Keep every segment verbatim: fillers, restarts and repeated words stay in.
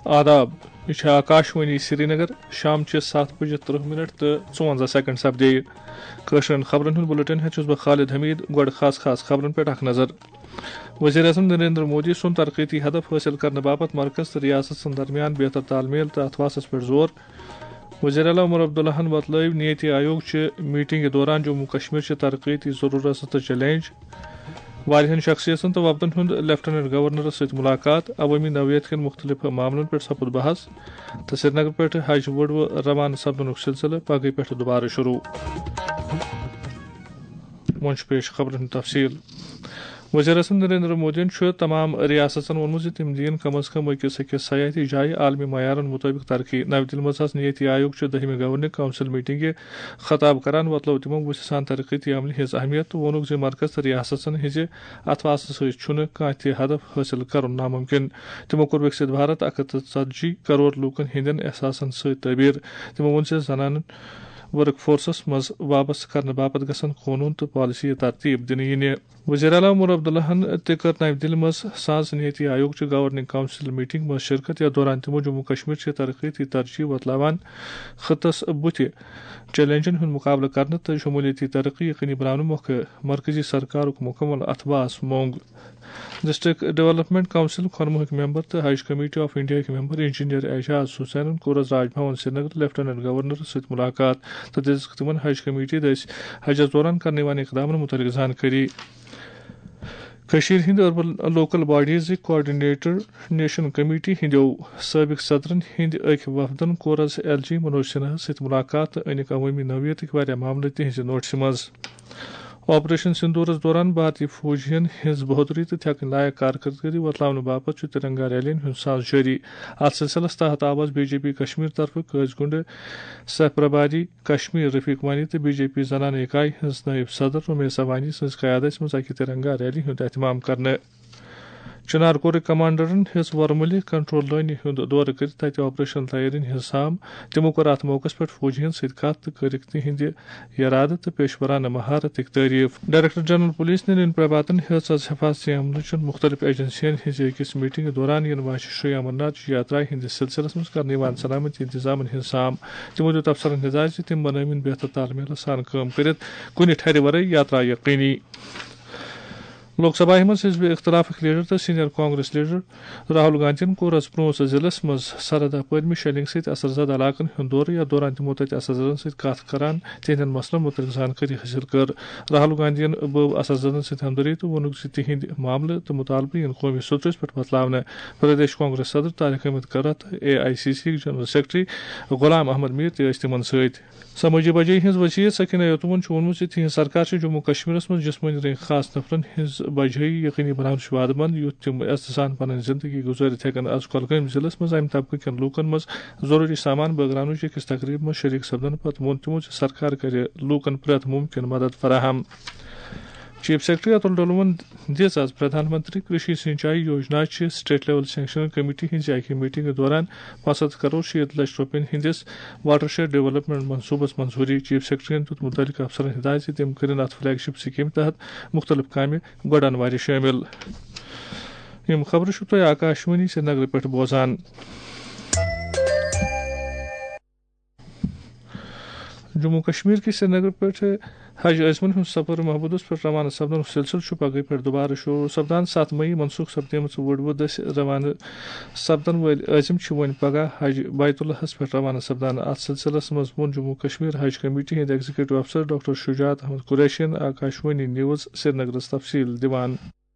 آداب، یہِ چھِ آکاشوانی سرینگر، شام چہِ ستھ بجہِ ترٕہ منٹ تہٕ ژُوَنزاہ سیکنڈ سپدے۔ کٲشرٮ۪ن خبرن ہُنٛد بُلٹن ہٮ۪تھ چھُس بہٕ خالد حمید۔ گۄڈٕ خاص خاص خبرن پٮ۪ٹھ اکھ نظر۔ وزیر اعظم نریندر مودی سُنٛد ترقیتی ہدف حٲصِل کرنہٕ باپتھ مرکز تہٕ ریاستن درمیان بہتر تال میل تہٕ اتھواسس پٮ۪ٹھ زور۔ وزیر اعلیٰ عمر عبداللہن وۄتلٲوۍ نیتی آیوگ چہِ میٹنگہِ دوران جموں کشمیر چہِ ترقیتی ضروٗرتہٕ تہٕ چیلنج۔ واریاہن شخصیتن تہٕ وفدن ہُنٛد لیفٹیننٹ گورنرس سۭتۍ ملاقات، عوٲمی نوعیت کٮ۪ن مُختٔلِف معاملن پٮ۪ٹھ سپُد بحث، تہٕ سرینگر پٮ۪ٹھ حج وُڈوٕ روانہٕ سپدنُک سلسلہٕ پگہٕے پٮ۪ٹھٕ دُبارٕ شروٗع۔ وۄنۍ چھُ پیش خبرن ہُنٛد تفصیل۔ وزیر اعظم نریندر مودیَن چھُ تمام ریاستن ووٚنمُت زِ تِم دِیِن کم از کم أکِس أکِس سیاحتی جایہِ عالمی معیارن مُطٲبِق ترقی۔ نَوِ دِلہِ منٛز آسہِ نیتی آیوگ چہِ دٔہمہِ گورننگ کونسل میٹنگہِ خطاب کران وۄتلٲو تِمو وُژھِ سان ترقیتی عملہِ ہٕنٛز اہمیت تہٕ ووٚنُکھ زِ مرکز تہٕ ریاستن ہٕنٛزِ اتھواسہٕ سۭتۍ چھُنہٕ کانٛہہ تہِ ہدف حٲصِل کرُن ناممکن۔ تِمو کوٚر وِکسِت بھارت اکھ ہتھ تہٕ ژتجی کرور لوٗکن ہٕنٛدٮ۪ن احساسن سۭتۍ تعبیر۔ تِمو ووٚن زِ زنانن ورک فورسس منٛز وابستہٕ کرنہٕ باپتھ گژھن قونوٗن تہٕ پالیسی ترتیب دِنہٕ یِنہِ۔ وزیر اعلیٰ عمر عبداللہن تہِ کٔر نَوِ دِلہِ منٛز سانز نیتی آیوگ چہِ گورننگ کونسل میٹنگ منٛز شرکت، یتھ دوران تِمو جموں کشمیر چہِ ترقیتی ترجیح وۄتلاوان خطس بُتھِ چیلنجن ہُنٛد مُقابلہٕ کرنہٕ تہٕ شمولیتی ترقی یقینی بناونہٕ مۄکھٕ مرکزی سرکارُک مُکمل اتھواس مۄنگ۔ ڈسٹرکٹ ڈیولپمنٹ کونسل خۄنموہٕکۍ ممبر تہٕ حج کمیٹی آف انڈیاہٕکۍ ممبر انجینئر اعجاز حسینن کوٚر آز راج بھون سرینگر لیفٹیننٹ گورنرس سۭتۍ ملاقات تہٕ دِژٕکھ تِمن حج کمیٹی دٔسۍ حجس دوران کرنہٕ یِوان اقدامن مُتعلق زانکٲری۔ کٔشیٖرِ ہِنٛدِ urban local bodiesٕکۍ coordination committee ہِنٛدیو سٲبِق صدرن ہِنٛدِ أکۍ وفدن کوٚر آز ایل جی منوج سنہاہس سۭتۍ مُلاقات تہٕ أنِکھ عوٲمی نوعیتٕکۍ واریاہ معاملہٕ تِہنٛزِ نوٹسہِ منٛز۔ آپریشن سندورس دوران بھارتی فوجین ہٕنٛز بہادری تہٕ تھٮ۪کٕنۍ لایق کارکردگی وۄتلاونہٕ باپتھ چھُ ترنگا ریلین ہُنٛد ساز جٲری۔ اتھ سلسلس تحت آو آز بی جے پی کشمیر طرفہٕ قٲضۍ گُنڈٕ سہ پرباری کشمیر رفیق وانی تہٕ بی جے پی زنانہٕ اِکایہِ ہٕنٛز نٲیِب صدر رمیسا وانی سٕنٛز قیادژ منٛز اکہِ ترنگا ریلی ہُنٛد اہتمام کرنہٕ۔ چنار کورٕکۍ کمانڈرن ہیٚژ ورمُلہِ کنٹرول لٲنہِ ہُنٛد دورٕ کٔرِتھ تتہِ آپریشن تیٲرین ہٕنٛز سام۔ تِمو کوٚر اتھ موقعس پٮ۪ٹھ فوجین سۭتۍ کتھ تہٕ کٔرٕکھ تِہنٛدِ ارادٕ تہٕ پیشورانہٕ مہارتٕکۍ تعریف۔ ڈائریکٹر جنرل پولیس نرین پربھاتن ہیٚژ آز حفاظتی عملہٕ چٮ۪ن مُختٔلِف ایجنسین ہٕنٛزِ أکِس میٹنگہِ دوران یِنہٕ واجہِ شری امرناتھ یاترایہِ ہٕنٛدِس سلسلس منٛز کرنہٕ یِوان سلامتی انتظامن ہٕنٛز سام۔ تِمو دیُت افسرن ہدایت زِ تِم بنٲوِن بہتر تال میلس سان کٲم کٔرِتھ کُنہِ ٹھرِ ورٲے یاترا یقینی۔ لوک سبھاہہِ منٛز حزب اختلافٕکۍ لیڈر تہٕ سینئر کانگریس لیڈر راہل گاندھین کوٚر آز پونٛژھ ضلعس منٛز سرحدہ پٲرمہِ شیلنگ سۭتۍ اثر زدہ علاقن ہُنٛد دورٕ، یتھ دوران تِمو تتہِ اثر زدن سۭتۍ کتھ کران تِہنٛدٮ۪ن مسلن مُتعلق زانکٲری حٲصِل کٔر۔ راہل گاندھین بٲو اثر زدن سۭتۍ ہمدردی تہٕ ووٚنُکھ زِ تِہنٛدۍ معاملہٕ تہٕ مُطالبہٕ یِن قومی سطحس پٮ۪ٹھ وۄتلاونہٕ۔ پردیش کانگریس صدر Tariq Ahmad Karra, A I C C general secretary Ghulam Ahmad Mir تہِ ٲسۍ تِمن سۭتۍ۔ سمٲجی بجٲیی ہٕنٛز وزیر سکینہ یتومن چھُ ووٚنمُت زِ تِہنٛز سرکار چھِ جموں کشمیرس منٛز جسمٲنی رنگہِ خاص نفرن ہٕنٛز بجٲیی یقینی بناونٕچ وعدٕ مند، یُتھ تِم عزتہٕ سان پنٕنۍ زندگی گُزٲرِتھ ہٮ۪کن۔ از کۄلگٲمۍ ضلعس منٛز امہِ طبقہٕ کٮ۪ن لوٗکن منٛز ضروٗری سامان بٲگراونٕچ أکِس تقریبہِ منٛز شریک سپدنہٕ پتہٕ ووٚن تِمو زِ سرکار کرِ لوٗکن پرٛٮ۪تھ مُمکِن مدد فراہم۔ چیف سیکرٹری اتُل ڈولون دِژ آز پردھان منتری کرشی سینچائی یوجنا چہِ اسٹیٹ لیول سینکشن کمیٹی ہٕنٛزِ اکہِ میٹنگہِ دوران پانٛژھ ہتھ کرور شیٖتھ لچھ رۄپین ہٕنٛدِس واٹر شیڈ ڈیولپمنٹ منصوبس منظوٗری۔ چیف سیکرٹریَن دیُت مُتعلقہٕ افسرن ہدایت زِ تِم کٔرِن اتھ فلیگ شپ سکیمہِ تحت مُختٔلِف کامہِ گۄڈَن وارِ شٲمِل۔ یِم خبرٕ چھِو تُہۍ آکاشوانی سرینگرٕ پٮ۪ٹھ بوزان۔ جموں کشمیر کِس سرینگر پٮ۪ٹھ حج عٲزمن ہُنٛد سفر محبوٗدس پٮ۪ٹھ روانہٕ سپدنُک سلسلہٕ چھُ پگہٕے پٮ۪ٹھ دُبارٕ شروٗع سپدان۔ ستھ مئی منسوخ سپدیمٕژ وُڈوٕ دٔسۍ روانہٕ سپدن وٲلۍ عٲزم چھِ وۄنۍ پگاہ حج بیت اللہس پٮ۪ٹھ روانہٕ سپدان۔ اتھ سلسلس منٛز ووٚن جموں کشمیر حج کمیٹی ہٕنٛدۍ ایگزیکٹو افسر ڈاکٹر شجاعت احمد قریشین آکاشوانی نیوز سرینگرس تفصیل دِوان۔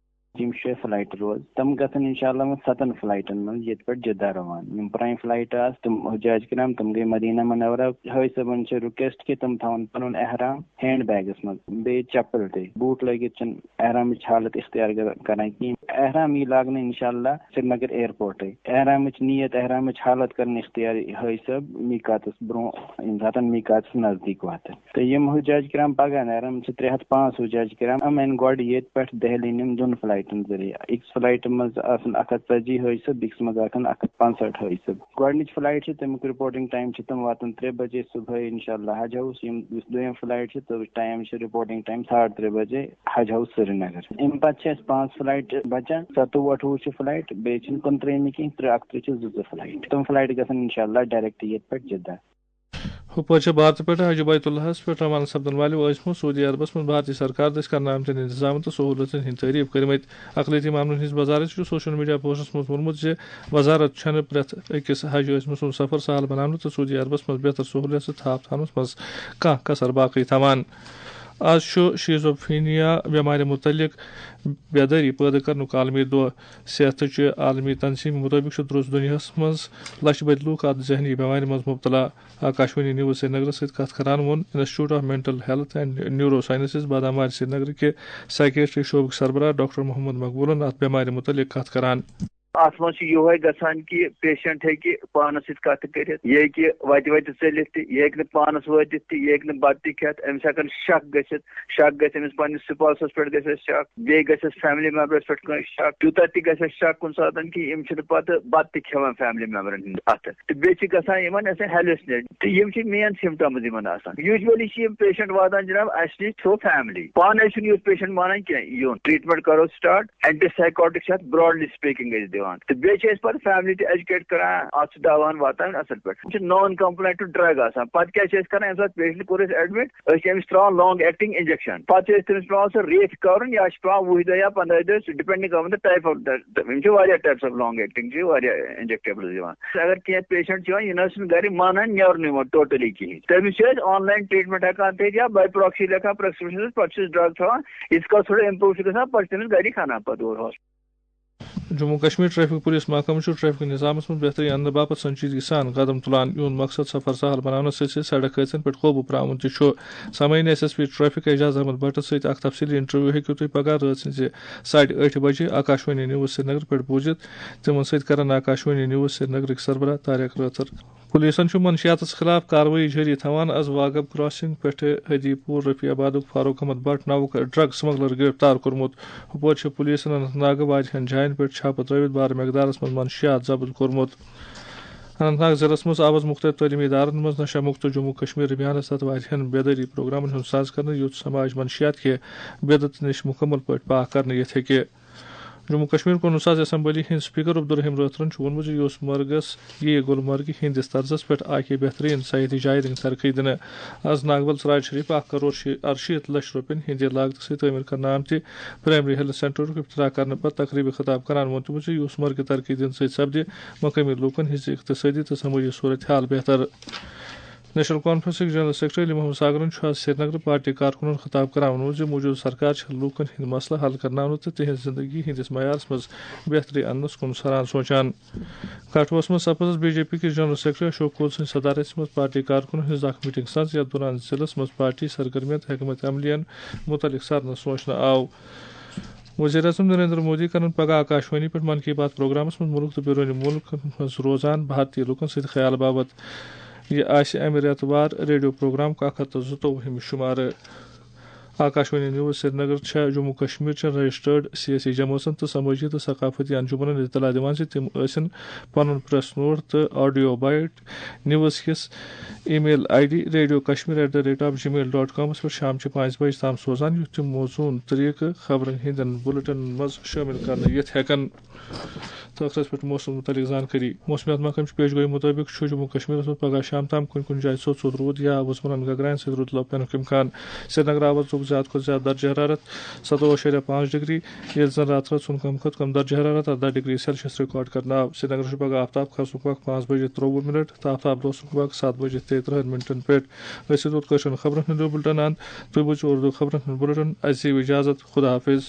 یِم شےٚ فلایٹہٕ روز، تِم گژھن انشاءاللہ وۄنۍ ستن فلایٹن منٛز ییٚتہِ پٮ۪ٹھ جدہ روان۔ یِم پرٛانہِ فلایٹہٕ آسہٕ، تِم حجاج کرام، تِم گٔے مدینہ منورہ۔ حٲج صٲبن چھِ ریکویسٹ کہِ تِم تھاوَن پنُن احرام ہینڈ بیگس منٛز، بیٚیہِ چپل تہِ۔ بوٗٹ لٲگِتھ چھِنہٕ احرامٕچ حالت اختیار کر-، کران کِہیٖنۍ۔ احرام یی لاگنہٕ انشاءاللہ سرینگر ایئرپورٹے۔ احرامٕچ نیت، احرامٕچ حالت کرن اختیار حٲج صٲب میقاتس برونٛہہ، ییٚمہِ ساتن میقاتس نزدیٖک واتن۔ تہٕ یِم حجاج کرام پگاہ نیرن، یِم چھِ ترٛےٚ ہتھ پانٛژھ حجاج کرام، یِم اَنہِ گۄڈٕ ییٚتہِ پٮ۪ٹھ دہلی یِم دۄن فلایٹن۔ تِم ذٔریعہٕ أکِس فلائٹہِ منٛز آسن اکھ ہتھ ژتجی حٲجۍ صٲب، بیٚکِس منٛز آسن اکھ ہتھ پانٛژہٲٹھ حٲجۍ صٲب۔ گۄڈٕنِچ فلائٹ چھِ، تَمیُک رِپورٹِنگ ٹائم چھِ تِم واتان ترٛےٚ بجے صبحٲے، انشاءاللہ حج ہاؤس۔ یِم یُس دوٚیِم فلائٹ چھِ، تَمیُک ٹائم چھِ، رِپورٹنگ ٹائم ساڑٕ ترٛےٚ بجے حج ہاؤس سرینگر۔ اَمہِ پَتہٕ چھِ اَسہِ پانٛژھ فلائٹ بچان، ستووُہ اَٹھووُہ چھِ فلائٹ، بیٚیہِ چھِنہٕ کُنترٛہمہِ کینٛہہ، ترٛےٚ اَکترٛہ چھِ زٕ زٕ فلائٹ۔ تِم فلائٹ گژھن انشاءاللہ ڈائریکٹ ییٚتہِ پٮ۪ٹھ جدہ۔ ہُپٲرۍ چھِ بھارتہٕ پٮ۪ٹھ حج بیت اللہس پٮ۪ٹھ روانہٕ سپدن والٮ۪و ٲسمٕژ سعودی عربس منٛز بھارتی سرکار دٔسۍ کرنہٕ آمتٮ۪ن انتظامن تہٕ سہوٗلژن ہٕنٛدۍ تعریف کٔرمٕتۍ۔ اقلیتی معاملن ہٕنٛز وزارت چھُ سوشل میڈیا پوسٹس منٛز ووٚنمُت زِ وزارت چھَنہٕ پرٛٮ۪تھ أکِس حج ٲسمٕژ سُنٛد سفر سہل بناونہٕ تہٕ سعودی عربس منٛز بہتر سہوٗلیت تہٕ تھاپ تھاونس منٛز کانٛہہ کسر باقی تھاوان۔ آز چھُ شیزوفرینیا بٮ۪مارِ مُتعلق بیدٲری پٲدٕ کرنُک عالمی دۄہ۔ صحتٕچہِ عالمی تنظیٖم مُطٲبِق چھُ درٛوس دُنیاہَس منٛز لَچھ بٔدۍ لوٗکھ اَتھ ذہنی بٮ۪مارِ منٛز مُبتلا۔ آکاشوانی نیوز سرینگرَس سۭتۍ کَتھ کران ووٚن Institute of Mental Health and Neurosciences بادام وارِ سرینگرٕ کہِ سائیکیٹری شعبٕکۍ سربراہ ڈاکٹر محمد مقبولَن اَتھ بٮ۪مارِ مُتعلِق کَتھ کران۔ اَتھ منٛز چھُ یِہوٚے گژھان کہِ پیشنٹ ہیٚکہِ پانَس سۭتۍ کَتھ کٔرِتھ، یہِ ہیٚکہِ وَتہِ وَتہِ ژٔلِتھ تہِ، یہِ ہیٚکہِ نہٕ پانَس وٲتِتھ تہِ، یہِ ہیٚکہِ نہٕ بَتہٕ تہِ کھٮ۪تھ، أمِس ہٮ۪کَن شک گٔژھِتھ، شک گژھِ أمِس پننِس سپاوسس پٮ۪ٹھ، گژھِ اَسہِ شک، بیٚیہِ گژھِ اَسہِ فیملی ممبرس پٮ۪ٹھ کٲنٛسہِ شک، تیوٗتاہ تہِ گژھِ اَسہِ شک کُنہِ ساتن کہِ یِم چھِنہٕ پتہٕ بتہٕ تہِ کھٮ۪وان فیملی ممبرن ہٕنٛدِ اَتھٕ۔ تہٕ بیٚیہِ چھِ گژھان یِمن اَسہِ ہیلوسنیٹ، تہٕ یِم چھِ مین سمپٹمز یِمن آسان۔ یوٗجولی چھِ یِم پیشنٹ واتان جناب اَسہِ نِش تھرو فیملی، پانے چھُنہٕ یُتھ پیشنٹ مانان کینٛہہ یُن۔ ٹریٹمنٹ کرو سٹارٹ، اینٹی سائیکوٹک چھِ اَتھ براڈلی سپیکنگ أسۍ دِوان، تہٕ بیٚیہِ چھِ أسۍ پتہٕ فیملی تہِ ایجوکیٹ کران، اَتھ چھُ دوا واتان اصل پٲٹھۍ۔ یِم چھِ نان کمپلائنٹ ٹو ڈرگ آسان۔ پتہٕ کیٛاہ چھِ أسۍ کران؟ ییٚمہِ ساتہٕ پیشنٹ کوٚر أسۍ ایڈمٹ، أسۍ چھِ أمِس ترٛاوان لانگ ایکٹنگ انجیکشن۔ پتہٕ چھِ أسۍ تٔمِس پٮ۪وان سُہ ریتھۍ کرُن یا چھِ پٮ۪وان وُہہِ دۄہ یا پنداہہِ دۄہ، ڈِپینڈنگ آن دَ ٹائپ آف، یِم چھِ واریاہ ٹائپس آف لانگ ایکٹنگ، چھِ واریاہ انجیکٹیبلز یِوان۔ اگر کینٛہہ پیشنٹ چھِ یِوان، یہِ نہ حظ چھُنہٕ گرِ مانان نیرُن یِوان ٹوٹلی کِہیٖنۍ، تٔمِس چھِ أسۍ آن لائن ٹریٹمنٹ ہٮ۪کان تھٲیِتھ یا باے پراکسی لیکھان پرسکرپشن، پتہٕ چھِ أسۍ ڈرگ تھاوان، ییٖتِس کالس تھوڑا امپروو چھُ گژھان، پتہٕ چھِ تٔمِس گری کھنان پتہٕ اورٕ hospital. Jammu Kashmir traffic police محکمہٕ چھُ ٹریفک نظامَس منٛز بہتری اَننہٕ باپتھ سنجیدگی سان قدم تُلان۔ یِہُنٛد مقصد سفر سہل بناونَس سۭتۍ سۭتۍ سڑک حٲدثن پٮ۪ٹھ قوبوٗ پرٛاوُن تہِ چھُ۔ سامعیٖن، S S P traffic Ajaz Ahmad بٹس سۭتۍ اکھ تفصیلی انٹرویو ہیٚکِو تُہۍ پگاہ رٲژ ہٕنٛزِ ساڑِ ٲٹھِ بجہِ آکاشوانی نیوز سرینگر پٮ۪ٹھ بوٗزِتھ۔ تِمن سۭتۍ کرن آکاشوانی نیوز سرینگرٕکۍ سربراہ طارق رٲتھر۔ پولیسن چھُ منشیاتس خلاف کاروٲیی جٲری تھاوان۔ از واگب کراسنگ پٮ۪ٹھٕ ہدی پور رفیع آبادُک فاروق احمد بٹ ناوُک ڈرگ سمگلر گرفتار کوٚرمُت۔ ہُپٲرۍ چھِ پولیسن اننت ناگہٕ واریاہن جاین پٮ۪ٹھ چھاپہٕ ترٲوِتھ بارٕ مقدارس منٛز منشیات ضبط کوٚرمُت۔ اننت ناگ ضلعس منٛز آو از مُختٔلِف تعلیٖمی ادارن منٛز نشہ مُکت جموں کشمیر ابھیانس تحت واریاہن بیدٲری پروگرامن ہُنٛد ساز کرنہٕ، یُتھ سماج منشیات کہِ بدعت نِش مُکمل پٲٹھۍ پاک کرنہٕ یِتھ ہیٚکہِ۔ جموں کشمیر قونوٗن ساز اسمبلی ہٕنٛدۍ سپیکر عبدالرحیم رٲتھرن چھُ ووٚنمُت زِ یوسمرگس یِیہِ گلمرگہِ ہٕنٛدِس طرزس پٮ۪ٹھ اکھ بہتریٖن سیاحتی جایہِ دِنہٕ ترقی دِنہٕ۔ از ناگبل ژراج شریف اکھ کرور شی-، ارشیٖتھ لچھ رۄپین ہٕنٛدِ لاگتہٕ سۭتۍ تعمیٖر کرنہٕ آمتہِ پرائمری ہیلتھ سینٹرُک افتتاح کرنہٕ پتہٕ تقریبہِ خطاب کران ووٚن تِمو زِ یوسمرگہِ ترقی دِنہٕ سۭتۍ سپدِ مقٲمی لوٗکن ہٕنٛز اقتصٲدی تہٕ سمٲجی صورت حال بہتر۔ نیشنل کانفرنسٕکۍ جنرل سیکرٹری علی محمد ساگرن چھُ از سرینگرٕ پارٹی کارکُنن خطاب کران ووٚنمُت زِ موجودٕ سرکار چھِ لوٗکن ہٕنٛدۍ مسلہٕ حل کرناونہٕ تہٕ تِہنٛز زندگی ہٕنٛدِس معیارس منٛز بہتری اننس کُن سران سونچان۔ کٹھوَس منٛز سپٕز بی جے پی کِس جنرل سیکرٹری اشوک کول سٕنٛدِ صدارت منٛز پارٹی کارکُنن ہٕنٛز اکھ میٹنگ سمٕز، یتھ دوران ضلعس منٛز پارٹی سرگرمین تہٕ حکمت عملین متعلق سرنہٕ سونچنہٕ آو۔ وزیر اعظم نریندر مودی کرن پگاہ آکاشوانی پٮ۪ٹھ من کی بات پروگرامس منٛز مُلک تہٕ بیرونِ مُلکن منٛز روزان بھارتی لوٗکن سۭتۍ خیال باپتھ۔ یہِ آسہِ امہِ رٮ۪تہٕ وار ریڈیو پروگرامُک اکھ ہتھ تہٕ زٕتووُہمہِ شُمارٕ۔ آکاشوانی نیوز سرینگر چھےٚ جموں کشمیر چٮ۪ن رجسٹرڈ سیٲسی جمٲژن تہٕ سمٲجی تہٕ ثقافتی انجمنن اطلاع دِوان زِ تِم ٲسِن پنُن پریس نوٹ تہٕ آڈیو بائٹ نیوز کِس email I D radio Kashmir at the rate of gmail dot کامس پٮ۪ٹھ شامچہِ پانٛژِ بجہِ تام سوزان، یُتھ تِم موزوٗن طریقہٕ خبرن ہٕنٛدٮ۪ن بُلٹنن منٛز شٲمِل کرنہٕ یِتھ ہٮ۪کن۔ تہٕ ٲخرس پٮ۪ٹھ موسم مُتعلق زانکٲری۔ موسمیات محکمہٕ چہِ پیش گویی مُطٲبِق چھُ جموں کشمیرس منٛز پگاہ شام تام کُنہِ کُنہِ جایہِ ژوٚت ژوٚت روٗد یا وُزمرن گگراین سۭتۍ روٗد لو پینُک امکان۔ سرینگر آو از زیادٕ کھۄتہٕ زیادٕ درجہ حرارت ستووُہ اعشاریہ پانٛژھ ڈگری، ییٚلہِ زن راتہٕ رٲژ ہُنٛد کم کھۄتہٕ کم درجہ حرارت ارداہ ڈگری سیلسیس ریکارڈ کرنہٕ آو۔ سرینگر چھُ پگاہ آفتاب کھسنُک وقت پانٛژھ بجے ترٛوٚوُہ منٹ تہٕ آفتاب لوسنُک وقت ستھ بجے تیٚیہِ ترٕٛہن منٹن پٮ۪ٹھ۔ أسۍ چھِ توٚت کٲشرٮ۪ن خبرن ہُنٛد یہِ بُلٹن اند۔ تُہۍ بوٗزِو اردو خبرن ہُنٛد بُلٹن۔ اَسہِ دِیِو اجازت۔ خدا حافظ۔